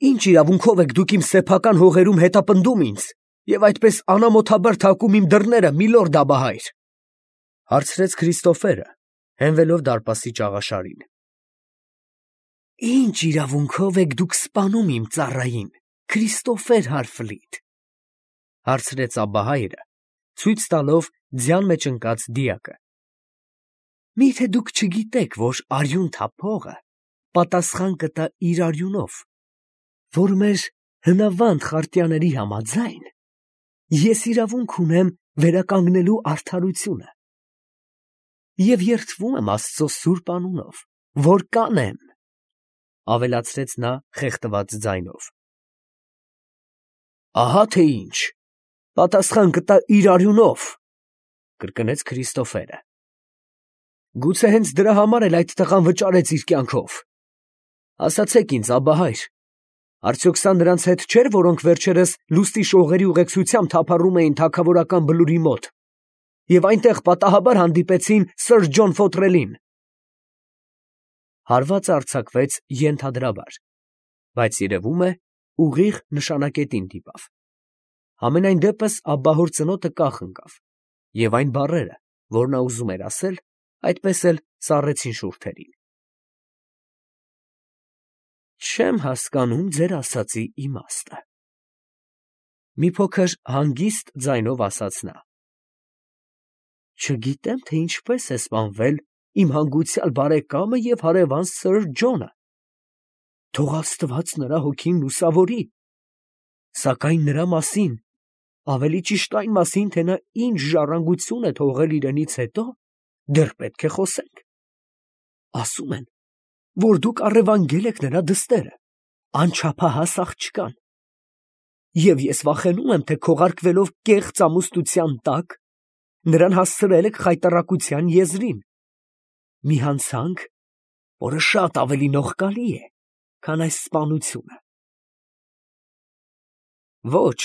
Ինչ իրավունքով եք դուք իմ սեփական հողերում հետապնդում ինձ և այդպես անամոթաբար թակում իմ դռները, միլորդ Աբահայր, ֊ հարցրեց Քրիստոֆերը, հենվելով դարպասի ճաղաշարին։ ֊ Ինչ իրավունքով եք դուք սպանում իմ ծառային, Քրիստոֆեր Հարֆլիտ, ֊ հարցրեց Աբահայրը, ցույց տալով ձյան մեջ ընկած դիակը։ ֊ Մի՞թե դուք չգիտեք, որ արյուն թափողը պատասխան կտա իր արյունով, որ մեր հնավանդ խարտյաների համաձայն ես իրավունք ունեմ վերականգնելու արդարությունը և երդվում եմ Աստծո սուրբ անունով, որ կանեմ, ֊ ավելացրեց նա խեղդված ձայնով։ ֊ Ահա թե ինչ, պատասխան կտա իր արյունով, ֊ կրկնեց Քրիստոֆերը։ ֊ Գուցե հենց դրա համար էլ այդ տղան վճարեց իր կյանքով։ Ասացեք ինձ, Աբահայր, արդյոք սա նրանց հետ չէր, որոնք վերջերս լուստի շողերի ուղեկցությամբ թափառում էին թագավորական բլուրի մոտ և այնտեղ պատահաբար հանդիպեցին սըր Ջոն Ֆոթրելին։ Հարվածը արձակվեց ենթադրաբար, բայց երևում է, ուղիղ նշանակետին դիպավ։ Համենայն դեպս աբահոր ծնոտը կախ ընկավ, և այն բառերը, որ նա ուզում էր ասել, այդպես էլ սառեցին շուրթերին։ Չեմ հասկանում ձեր ասածի իմաստը, ֊ մի փոքր հանգիստ ձայնով ասաց նա։ Չգիտեմ, թե ինչպես է սպանվել իմ հանգուցյալ բարեկամը և հարևան սըր Ջոնը. թող Աստված նրա հոգին լուսավորի, սակայն նրա մասին, ավելի ճիշտ այն մասին, թե նա ինչ ժառանգություն է թողել իրենից հետո, դեռ պետք է խոսենք։ Ասում են, որ դուք առևանգել եք նրա դստերը, անչափահաս աղջկան, և ես վախենում եմ, թե քողարկվելով կեղծ ամուսնության տակ, նրան հասցրել եք խայտառակության եզրին, մի հանցանք, որը շատ ավելի նողկալի է, քան այս սպանությունը։ Ոչ,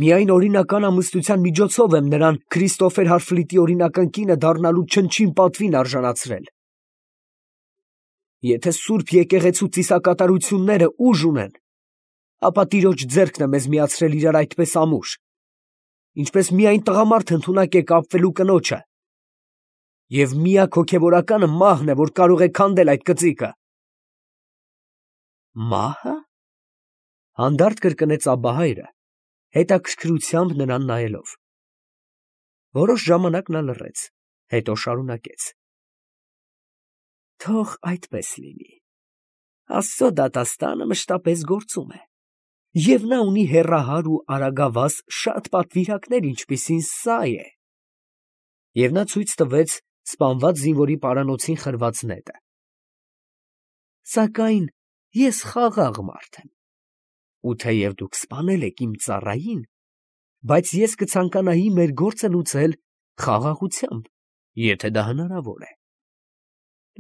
միայն օրինական ամուսնության միջոցով եմ նրան Քրիստոֆեր Հարֆլիտի օրինական կինը դառնալու չնչին պատվին արժանացրել։ Եթե սուրբ եկեղեցու ծիսակատարությունները ուժ ունեն, ապա տիրոջ ձեռքն է մեզ միացրել իրար այդպես ամուր, ինչպես միայն տղամարդ ընդունակ է կապվելու կնոջը, և միակ հոգևորականը մահն է, որ կարող է քանդել այդ կծիկը։ Մահը, ֊ հանդարտ կրկնեց Աբահայրը, հետաքրքրությամբ նրան նայելով։ Որոշ ժամանակ նա լռեց, հետո շարունակեց. Թող այդպես լինի, Աստծո դատաստանը մշտապես գործում է, և նա ունի հեռահար ու արագավազ շատ պատվիրակներ, ինչպիսին սա է, և նա ցույց տվեց սպանված զինվորի պարանոցին խրված նետը։ Սակայն ես խաղաղ մարդ եմ, ու թեև դուք սպանել եք իմ ծառային, բայց ես կցանկանայի մեր գործը լուծել խաղաղությամբ, եթե դա հնարավոր է։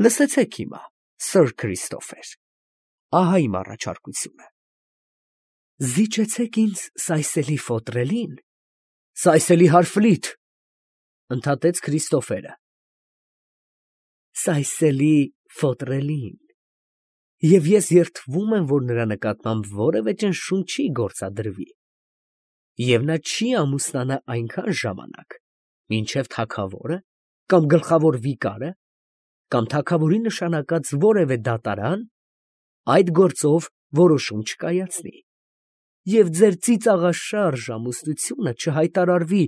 Լսեցեք հիմա, սըր Քրիստոֆեր, ահա իմ առաջարկությունը. Զիջեցեք ինձ սայսելի Ֆոտրելին, սայսելի Հարֆլիտ, ֊ ընդհատեց Քրիստոֆերը, սայսելի Ֆոտրելին, և ես երդվում եմ, որ նրա նկատմամբ որևէ ճնշում չի գործադրվի, և նա չի ամուսնանա այնքան ժամանակ, մինչև թագավորը կամ գլխավոր վիկարը կամ թագավորի նշանակած որևէ դատարան այդ գործով որոշում չկայացնի, և ձեր ծիծաղաշարժ ամուսնությունը չհայտարարվի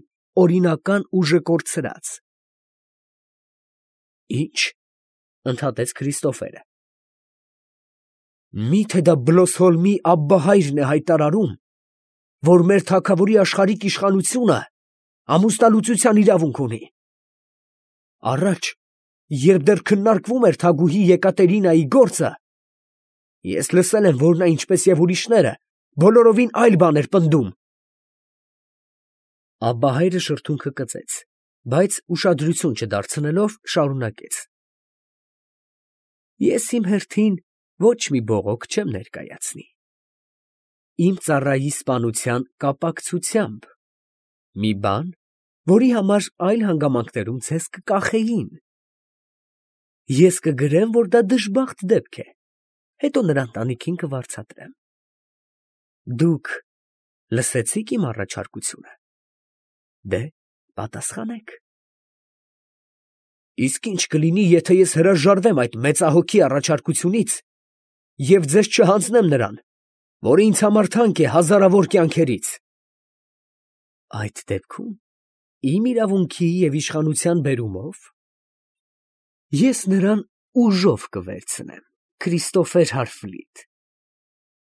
օրինական ուժը կորցրած։ Ի՞նչ, ֊ ընդհատեց Քրիստոֆերը, մի՞թե դա Բլոսհոլմի Աբբահայրն է հայտարարում, որ մեր թագավորի աշխարհիկ իշխանությունը ամուսնալուծության իրավունք ունի։ Առաջ, երբ դեռ քննարկվում էր թագուհի Եկատերինայի գործը, ես լսել եմ, որ նա, ինչպես և ուրիշները, բոլորովին այլ բան էր պնդում։ Աբբահայրը շրթունքը կծեց, բայց ուշադրություն չդարձնելով, շարունակեց. Ես իմ հերթին ոչ մի բողոք չեմ ներկայացնի։ Իմ ծառայի սպանության կապակցությամբ մի բան, որի համար այլ հանգամանքներում ձեզ կկախեին։ Ես կգրեմ, որ դա դժբախտ դեպք է, հետո նրա ընտանիքին կվարձատրեմ, Դուք լսեցիք իմ առաջարկությունը։ Դե, պատասխանեք։ Իսկ ինչ կլինի, եթե ես հրաժարվեմ այդ մեծահոգի առաջարկությունից և ձեզ չհանձնեմ նրան, որը ինձ համար թանկ է հազարավոր կյանքերից։ Այդ դեպքում, իմ իրավունքի և իշխանության բերումով, ես նրան ուժով կվերցնեմ, Քրիստոֆեր Հարֆլիտ,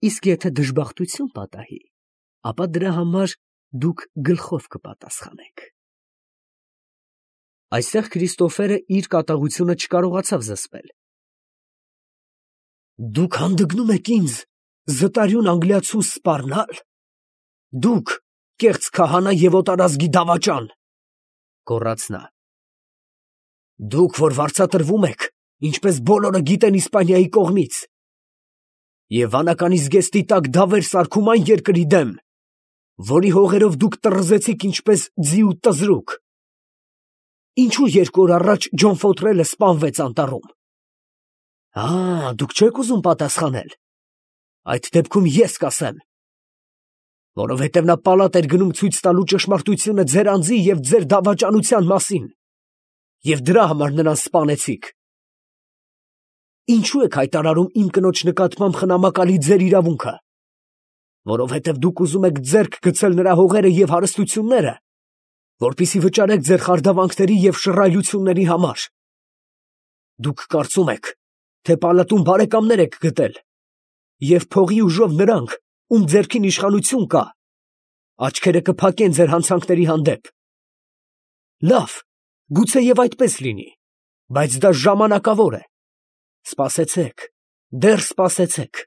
իսկ եթե դժբախտություն պատահի, ապա դրա համար դուք գլխով կպատասխանեք։ Այստեղ Քրիստոֆերը իր կատաղությունը չկարողացավ զսպել։ Դուք հանդգնում եք ինձ զտարյուն անգլիացու սպառնալ։ Դուք կեղծ քահանա և օտարազգի դավաճան, գոռաց նա։ Դուք, որ վարձատրվում եք, ինչպես բոլորը գիտեն Իսպանիայի կողմից, և վանականի զգեստի տակ դավեր սարքում այն երկրի դեմ, որի հողերով դուք տռզեցիք ինչպես ձի ու տզրուկ։ Ինչու 2 օր առաջ Ջոն Ֆոթրելը սպանվեց անտառում։ Դուք չեք ուզում պատասխանել։ Այդ դեպքում ես կասեմ, որովհետև նա պալատ էր գնում ցույց տալու ճշմարտությունը ձեր անձի և ձեր դավաճանության մասին, և դրա համար նրան սպանեցիք։ Ինչու եք հայտարարում իմ կնոջ նկատմամբ խնամակալի ձեր իրավունքը, որովհետև դուք ուզում եք ձեռք գցել նրա հողերը և հարստությունները, որպեսզի վճարեք ձեր խարդավանքների և շռայլությունների համար։ Դուք կարծում եք, թե պալատում բարեկամներ եք գտել, և փողի ուժով նրանք, ում ձեռքին իշխանություն կա, աչքերը կփակեն ձեր հանցանքների հանդեպ։ Լավ, գուցեև այդպես լինի, բայց դա ժամանակավոր է։ Սպասեցեք, դեռ սպասեցեք։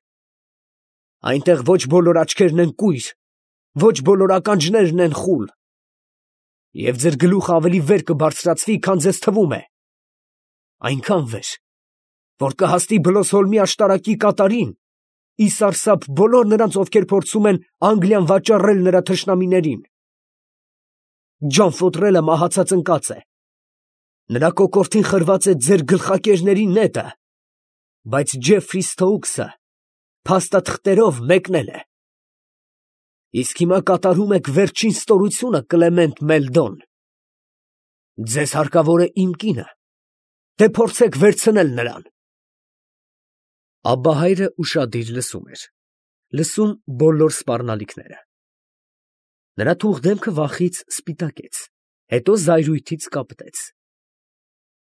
Այնտեղ ոչ բոլոր աչքերն են կույր, ոչ բոլոր ականջներն են խուլ, և ձեր գլուխը ավելի վեր կբարձրացվի, քան ձեզ թվում է, այնքան վեր, որ կհասնի Բլոսհոլմի աշտարակի կատարին, ի սարսափ բոլոր նրանց, ովքեր փորձում են Անգլիան վաճառել նրա թշնամիներին։ Ջոն Ֆոթրելը մահացած ընկած է, նրա կոկորդին խրված է ձեր գլխակերների նետը, բայց Ջեֆրի Սթոուքսը փաստաթղթերով մեկնել է։ Իսկ հիմա կատարում եք վերջին ստորությունը, Կլեմենտ Մելդոն։ Ձեզ հարկավոր է իմ կինը, թե փորձեք վերցնել նրան։ Աբբահայրը ուշադիր լսում էր, լսում բոլոր սպառնալիքները։ Նրա թուխ դեմքը վախից սպիտակեց, հետո զայրույթից կապտեց։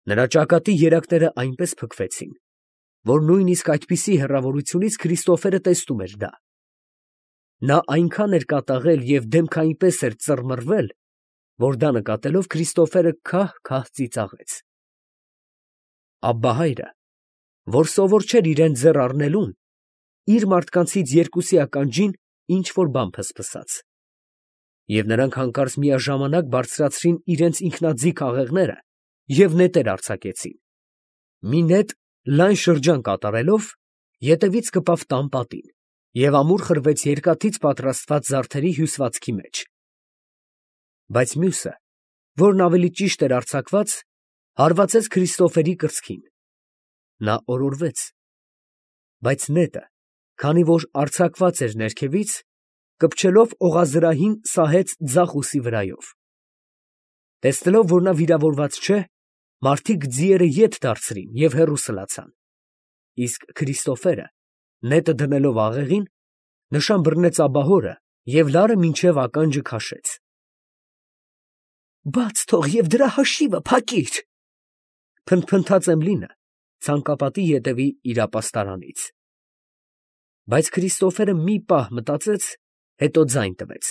Նրա ճակատի երակները այնպես փքվեցին, որ նույնիսկ այդպիսի հեռավորությունից Քրիստոֆերը տեսնում էր դա։ Նա այնքան էր կատաղել և դեմքը այնպես էր ծռմռվել, որ դա նկատելով Քրիստոֆերը քահ-քահ ծիծաղեց։ Աբբահայրը, որ սովոր չէր իրան ձեռ առնելուն, իր մարդկանցից 2-ի ականջին ինչ֊որ բան փսփսաց, և նրանք հանկարծ միաժամանակ բարձրացրին իրենց ինքնաձիգ աղեղները և նետեր արձակեցին։ Մի նետ լայն շրջան կատարելով, ետևից կպավ տան պատին և ամուր խրվեց երկաթից պատրաստված զարդերի հյուսվածքի մեջ։ Բայց մյուսը, որն ավելի ճիշտ էր արձակված, հարվածեց Քրիստոֆերի կրծքին։ Նա օրորվեց, բայց նետը, քանի որ արձակված էր ներքևից, կպչելով օղազրահին սահեց ձախ ուսի վրայով։ Տեսնելով, որ նա վիրավորված չէ, մարդիկ ձիերը ետ դարձրին և հեռու սլացան, իսկ Քրիստոֆերը, նետը դնելով աղեղին, նշան բռնեց աբահորը և լարը մինչև ականջը քաշեց։ Բաց թող և դրա հաշիվը փակիր, փնթփնթաց Էմլինը ցանկապատի ետևի իր ապաստարանից։ Բայց Քրիստոֆերը մի պահ մտածեց, հետո ձայն տվեց.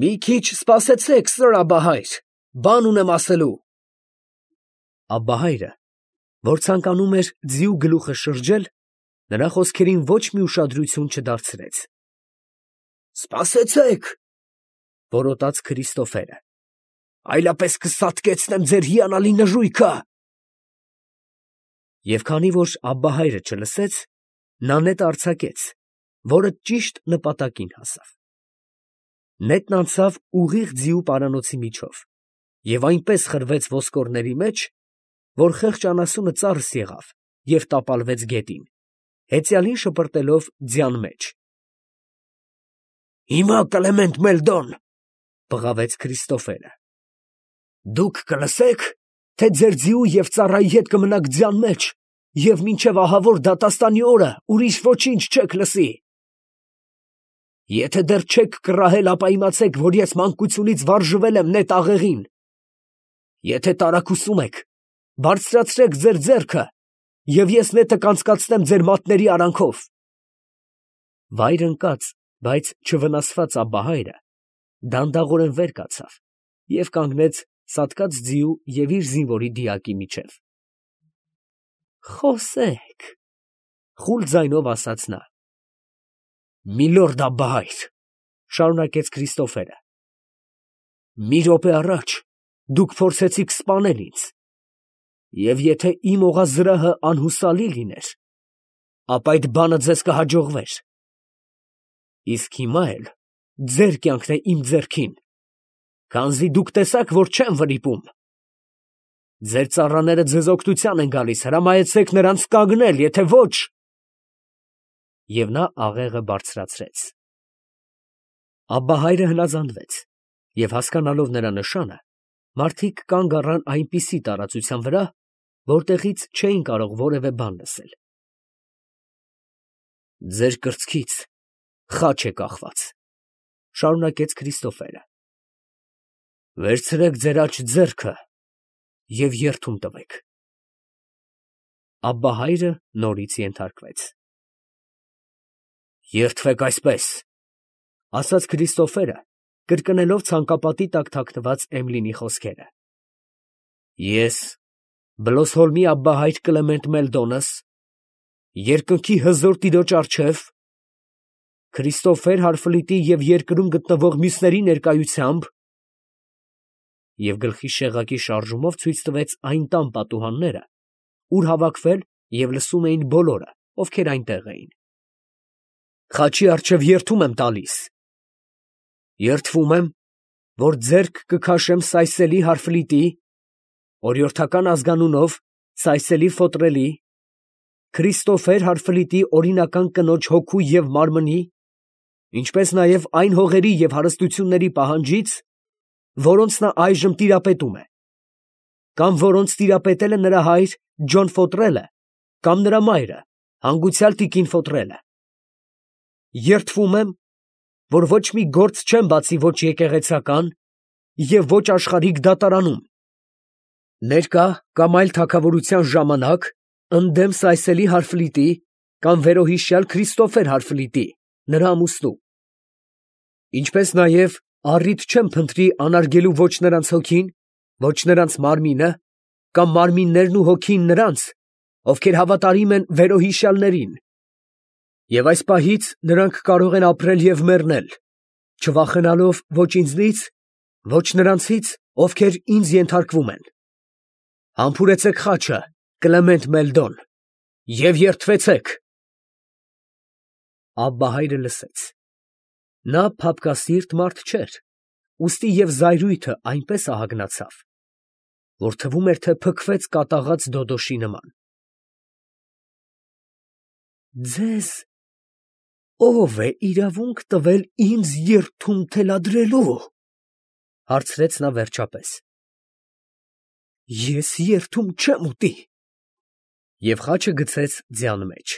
Մի քիչ սպասեցեք, սըր աբահայր, բան ունեմ ասելու։ Աբբահայրը, որ ցանկանում էր ձիու գլուխը շրջել, նրա խոսքերին ոչ մի ուշադրություն չդարձրեց։ Սպասեցեք, որոտաց Քրիստոֆերը, այլապես կսատկեցնեմ ձեր հիանալի նժույգը։ Եվ քանի որ աբբահայրը չլսեց, նա նետը արձակեց, որը ճիշտ նպատակին հասավ։ Նետն անցավ ուղիղ ձիու պարանոցի միջով և այնպես խրվեց ոսկորների մեջ, որ խեղճ անասունը ծարս եղավ և տապալվեց գետին, հեծյալին շպրտելով ձյան մեջ։ Հիմա Կլեմենտ Մելդոն, բղավեց Քրիստոֆերը, դուք կլսեք, թե ձեր ձիու և ծառայի հետ կմնաք ձյան մեջ, և մինչև ահավոր դատաստանի օրը ուրիշ ոչինչ չեք լսի։ Եթե դեռ չեք կռահել, ապա իմացեք, որ ես մանկությունից վարժվել եմ նետ աղեղին։ Եթե տարակուսում եք, բարձրացրեք ձեր ձեռքը, և ես նետը կանցկացնեմ ձեր մատների արանքով։ Վայր ընկած, բայց չվնասված Աբբահայրը դանդաղորեն վեր կացավ և կանգնեց սատկած ձիու և իր զինվորի դիակի միջև։ Խոսեք, խուլ ձայնով ասաց նա։ Միլորդ Աբբահայր, շարունակեց Քրիստոֆերը, մի րոպե առաջ դուք փորձեցիք սպանել ինձ, և եթե իմ օղազրահը անհուսալի լիներ, ապա այդ բանը ձեզ կհաջողվեր։ Իսկ հիմա էլ ձեր կյանքն է իմ ձեռքին, քանզի դուք տեսաք, որ չեմ վրիպում։ Ձեր ծառաները ձեզ օգնության են գալիս, հրամայեցեք նրանց կանգնել, եթե ոչ… Եվ նա աղեղը բարձրացրեց։ Աբբահայրը հնազանդվեց, և հասկանալով նրա նշանը, մարդիկ կանգ առան այնպիսի տարածության վրա, որտեղից չէին կարող որևէ բան լսել։ Ձեր կրծքից խաչ է կախված, շարունակեց Քրիստոֆերը։ Վերցրեք ձեր աջ ձեռքը և երդում տվեք։ Աբբահայրը նորից ենթարկվեց։ Երդվեք այսպես, ասաց Քրիստոֆերը, կրկնելով ցանկապատի տակ թաքնված Էմլինի խոսքերը. Ես, Բլոսհոլմի Աբբահայր Կլեմենտ Մելդոնս, երկնքի հզոր տիրոջ առջև, Քրիստոֆեր Հարֆլիտի և երկրում գտնվող մյուսների ներկայությամբ, և գլխի շեղակի շարժումով ցույց տվեց այն տան պատուհանները, ուր հավաքվել և լսում էին բոլորը, ովքեր այնտեղ էին, խաչի առջև երդում եմ տալիս. երդվում եմ, որ ձեռք կքաշեմ Սայսելի Հարֆլիտի, օրիորդական ազգանունով Սայսելի Ֆոտրելի, Քրիստոֆեր Հարֆլիտի օրինական կնոջ հոգու և մարմնի, ինչպես նաև այն հողերի և հարստությունների պահանջից, որոնց նա այժմ տիրապետում է, կամ որոնց տիրապետել է նրա հայր Ջոն Ֆոտրելը, կամ նրա մայրը, հանգուցյալ տիկին Ֆոտրելը։ Երդվում եմ, որ ոչ մի գործ չեմ բացի ոչ եկեղեցական և ոչ աշխարհիկ դատարանում, ներկա կամ այլ թագավորության ժամանակ, ընդդեմ Սայսելի Հարֆլիտի կամ վերոհիշյալ Քրիստոֆեր Հարֆլիտի, նրա ամուսնու, ինչպես նաև առիթ չեմ փնտրի անարգելու ոչ նրանց հոգին, ոչ նրանց մարմինը, կամ մարմիններն ու հոգին նրանց, ովքեր հավատարիմ են վերոհիշյալներին, և այս պահից նրանք կարող են ապրել և մեռնել, չվախենալով ոչ ինձնից, ոչ նրանցից, ովքեր ինձ ենթարկվում են։ Համբուրեցեք խաչը, Կլեմենտ Մելդոն, և երդվեցեք։ Աբբահայրը լսեց։ Նա փափկասիրտ մարդ չէր, ուստի և զայրույթը այնպես ահագնացավ, որ թվում էր, թե փքվեց կատաղած դոդոշի նման։ Ձեզ ո՞վ է իրավունք տվել ինձ երդում թելադրելու, հարցրեց նա վերջապես։ Ես երդում չեմ ուտի։ Եվ խաչը գցեց ձյան մեջ։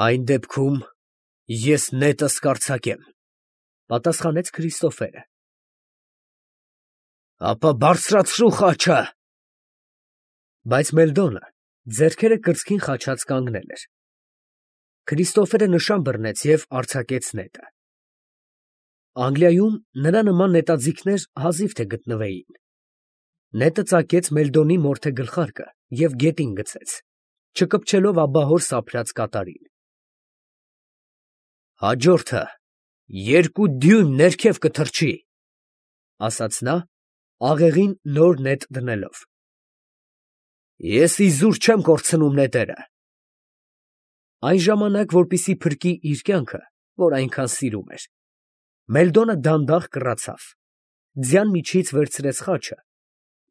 Այն դեպքում ես նետս կարձակեմ, պատասխանեց Քրիստոֆերը։ Ապա բարձրացրու խաչը։ Բայց Մելդոնը ձեռքերը կրծքին խաչած կանգնել էր։ Քրիստոֆերը նշան բռնեց և արձակեց նետը։ Անգլիայում նրա նման նետաձիգներ հազիվ թե գտնվեին։ Նետը ծակեց Մելդոնի մորթե գլխարկը և գետին գցեց, չկպչելով աբահոր սափրած կատարին։ Հաջորդը 2 դյույմ ներքև կթռչի, ասաց նա, աղեղին նոր նետ դնելով։ Ես իզուր չեմ կորցնում նետերը։ Այն ժամանակ, որպեսզի փրկի իր կյանքը, որ այնքան սիրում էր, Մելդոնը դանդաղ կռացավ, ձյան միջից վերցրեց խաչը,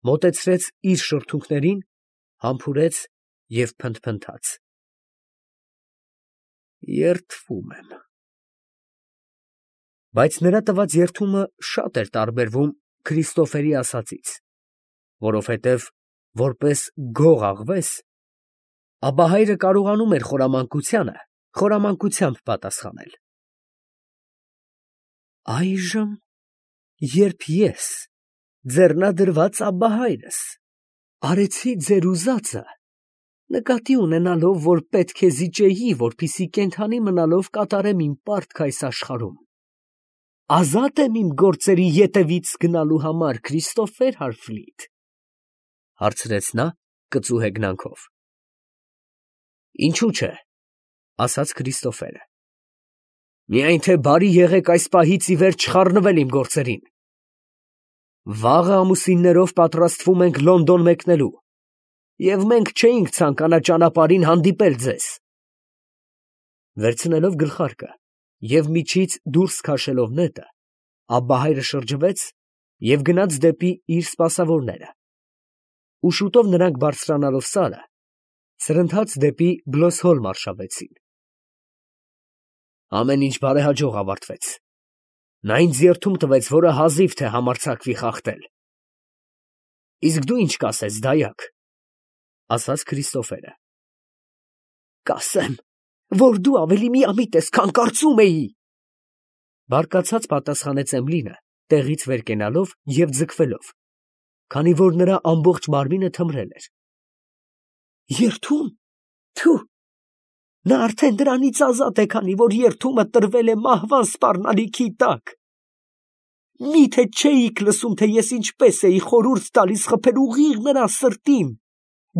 մոտեցրեց իր շրթունքներին, համբուրեց և փնթփնթաց։ Երդվում եմ։ Բայց նրա տված երդումը շատ էր տարբերվում Քրիստոֆերի ասածից, որովհետև որպես գող աղվես, Աբբահայրը կարողանում էր խորամանկությանը խորամանկությամբ պատասխանել։ Այժմ, երբ ես, ձեռնադրված Աբբահայրս, արեցի ձեր ուզածը, նկատի ունենալով, որ պետք է զիջեի, որպեսզի կենդանի մնալով կատարեմ իմ պարտքը այս աշխարհում, ազատ եմ իմ գործերի ետևից գնալու համար, Քրիստոֆեր Հարֆլիտ, հարցրեց նա կծու հեգնանքով։ Ինչու՞ չէ, ասաց Քրիստոֆերը։ Միայն թե բարի եղեք այս պահից ի վեր չխառնվել իմ գործերին։ Վաղը ամուսիններով պատրաստվում ենք Լոնդոն մեկնելու, և մենք չէինք ցանկանա ճանապարհին հանդիպել ձեզ։ Վերցնելով գլխարկը և միջից դուրս քաշելով նետը, Աբբահայրը շրջվեց և գնաց դեպի իր սպասավորները, ու շուտով նրանք բարձրանալով սարը, սրընթաց դեպի Բլոսհոլմ արշավեցին։ Ամեն ինչ բարեհաջող ավարտվեց։ Նա ինձ երդում տվեց, որը հազիվ թե համարձակվի խախտել։ Իսկ դու ինչ կասես, դայակ, ասաց Քրիստոֆերը։ Կասեմ, որ դու ավելի միամիտ ես, քան կարծում էի, բարկացած պատասխանեց Էմլինը, տեղից վեր կենալով և ձգվելով, քանի որ նրա ամբողջ մարմինը թմրել էր։ Երդում, թու, նա արդեն դրանից ազատ է, քանի որ երդումը տրվել է մահվան սպառնալիքի տակ։ Միթե չէիք լսում, թե ես ինչպես էի խորհուրդ տալիս խփել ուղիղ նրա սրտին,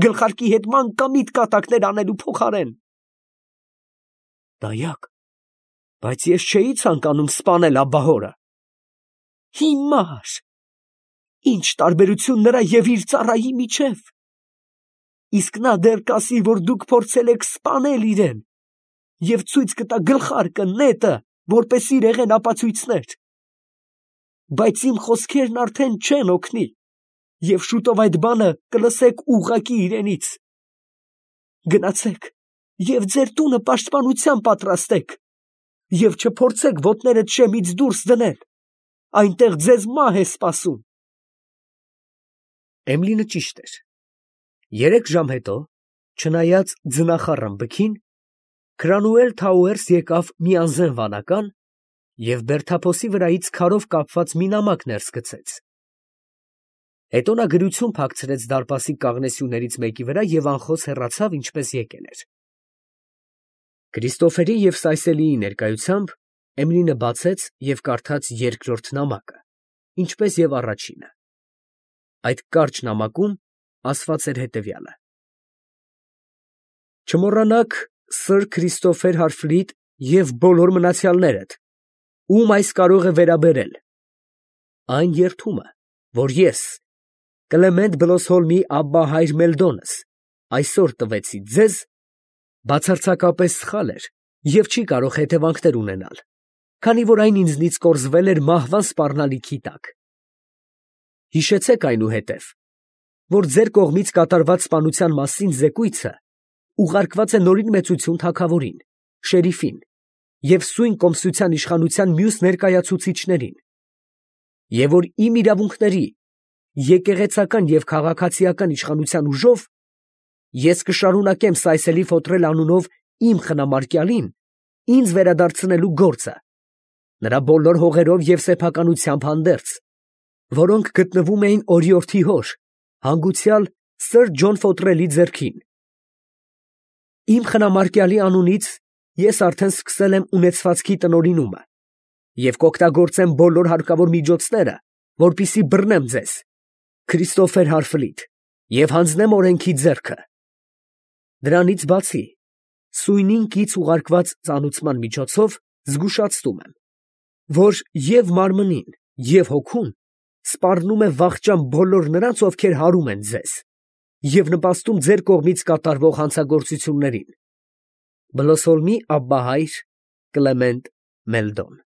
գլխարկի հետ մանկամիտ կատակներ անելու փոխարեն։ Դայակ, բայց ես չէի ցանկանում սպանել Աբբահորը։ Հիմար, ինչ տարբերություն նրա և իր ծառայի միջև։ Իսկ նա դեռ կասի, որ դուք փորձել եք սպանել իրեն և ցույց կտա գլխարկը, նետը, որպես իրեղեն ապացույցներ։ Բայց իմ խոսքերն արդեն չեն օգնի, և շուտով այդ բանը կլսեք ուղղակի իրենից։ Գնացեք և ձեր տունը պաշտպանության պատրաստեք, և չփորձեք ոտներդ շեմից դուրս դնել, այնտեղ ձեզ մահ է սպասում։ Էմլինը ճիշտ էր։ 3 ժամ հետո, չնայած ձնախառն բքին, Քրանուել Թաուերս եկավ մի անզեն վանական և բերդափոսի վրայից քարով կապված մի նամակ ներս գցեց։ Հետո նա գրություն փակցրեց դարպասի կաղնեսյուներից մեկի վրա և անխոս հեռացավ, ինչպես եկել էր։ Քրիստոֆերի և Սայսելիի ներկայությամբ Էմլինը բացեց և կարդաց երկրորդ նամակը, ինչպես և առաջինը։ Այդ կարճ նամակում ասված էր հետևյալը. Չմոռանաք սըր Քրիստոֆեր Հարֆլիտ և բոլոր մնացյալներդ, ում այս կարող է վերաբերել, այն երդումը, որ ես, Կլեմենտ Բլոսհոլմի Աբբահայր Մելդոնս, այսօր տվեցի ձեզ, բացարձակապես սխալ էր և չի կարող հետևանքներ ունենալ, քանի որ այն ինձնից կորզվել էր մահվան սպառնալիքի տակ։ Հիշեցեք այնուհետև, որ ձեր կողմից կատարված սպանության մասին զեկույցը ուղարկված է Նորին Մեծություն թագավորին, շերիֆին և սույն կոմսության իշխանության մյուս ներկայացուցիչներին, և որ իմ իրավունքների, եկեղեցական և քաղաքացիական իշխանության ուժով ես կշարունակեմ Սայսելի Ֆոտրել անունով իմ խնամարկյալին ինձ վերադարձնելու գործը, նրա բոլոր հողերով և սեփականությամբ հանդերձ, որոնք գտնվում էին օրիորդի հոր, հանգուցյալ սըր Ջոն Ֆոտրելի ձեռքին։ Իմ խնամարկյալի անունից ես արդեն սկսել եմ ունեցվածքի տնօրինումը և կօգտագործեմ բոլոր հարկավոր միջոցները, որպեսզի բռնեմ ձեզ, Քրիստոֆեր Հարֆլիտ, և հանձնեմ օրենքի ձեռքը։ Դրանից բացի, սույնին կից ուղարկված ծանուցման միջոցով զգուշացնում եմ, որ և մարմնին, և հոգուն սպառնում է վախճան բոլոր նրանց, ովքեր հարում են ձեզ և նպաստում ձեր կողմից կատարվող հանցագործություններին։ Բլոսհոլմի Աբբահայր Կլեմենտ Մելդոն։